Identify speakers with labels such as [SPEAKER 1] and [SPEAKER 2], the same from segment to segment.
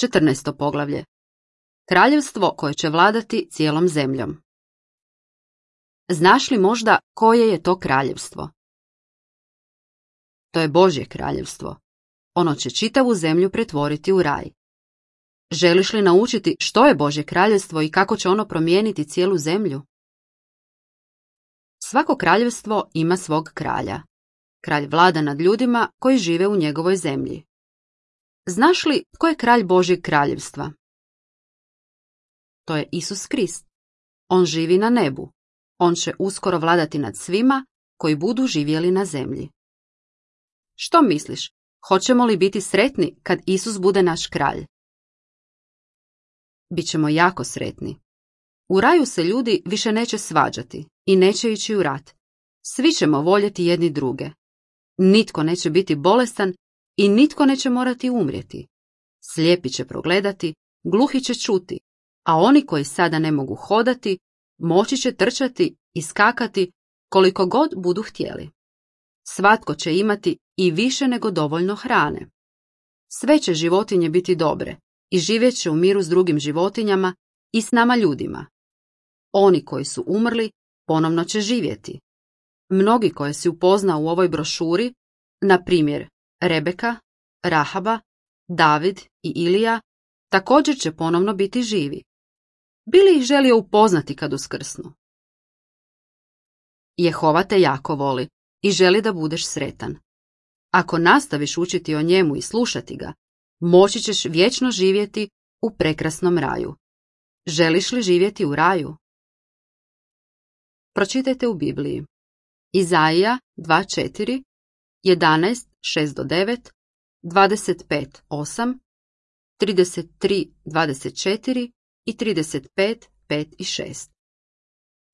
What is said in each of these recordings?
[SPEAKER 1] 14. poglavlje. Kraljevstvo koje će vladati cijelom zemljom. Znaš li možda koje je to kraljevstvo? To je Božje kraljevstvo. Ono će čitavu zemlju pretvoriti u raj. Želiš li naučiti što je Božje kraljevstvo i kako će ono promijeniti cijelu zemlju? Svako kraljevstvo ima svog kralja. Kralj vlada nad ljudima koji žive u njegovoj zemlji. Znaš li tko je kralj Božjeg kraljevstva? To je Isus Krist. On živi na nebu. On će uskoro vladati nad svima koji budu živjeli na zemlji. Što misliš, hoćemo li biti sretni kad Isus bude naš kralj? Bićemo jako sretni. U raju se ljudi više neće svađati i neće ići u rat. Svi ćemo voljeti jedni druge. Nitko neće biti bolestan i nitko neće morati umrijeti. Slijepi će progledati, gluhi će čuti, a oni koji sada ne mogu hodati, moći će trčati i skakati koliko god budu htjeli. Svatko će imati i više nego dovoljno hrane. Sve će životinje biti dobre i živjet će u miru s drugim životinjama i s nama ljudima. Oni koji su umrli ponovno će živjeti. Mnogi koje si upoznao u ovoj brošuri, na primjer Rebeka, Rahaba, David i Ilija, također će ponovno biti živi. Bi li ih želio upoznati kad uskrsnu? Jehova te jako voli i želi da budeš sretan. Ako nastaviš učiti o njemu i slušati ga, moći ćeš vječno živjeti u prekrasnom raju. Želiš li živjeti u raju? Pročitajte u Bibliji. Izaija 2.4, 11.6-9, 25.8, 33.24 i 35.5 i 6.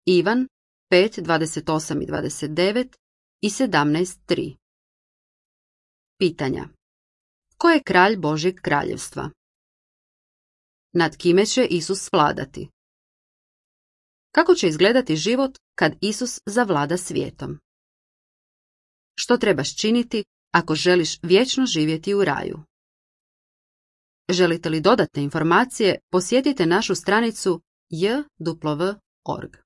[SPEAKER 1] Ivan 5.28 i 29 i 17.3. Pitanja. Ko je kralj Božjeg kraljevstva? Nad kime će Isus vladati? Kako će izgledati život kad Isus zavlada svijetom? Što trebaš činiti ako želiš vječno živjeti u raju? Želite li dodatne informacije, posjetite našu stranicu jw.org.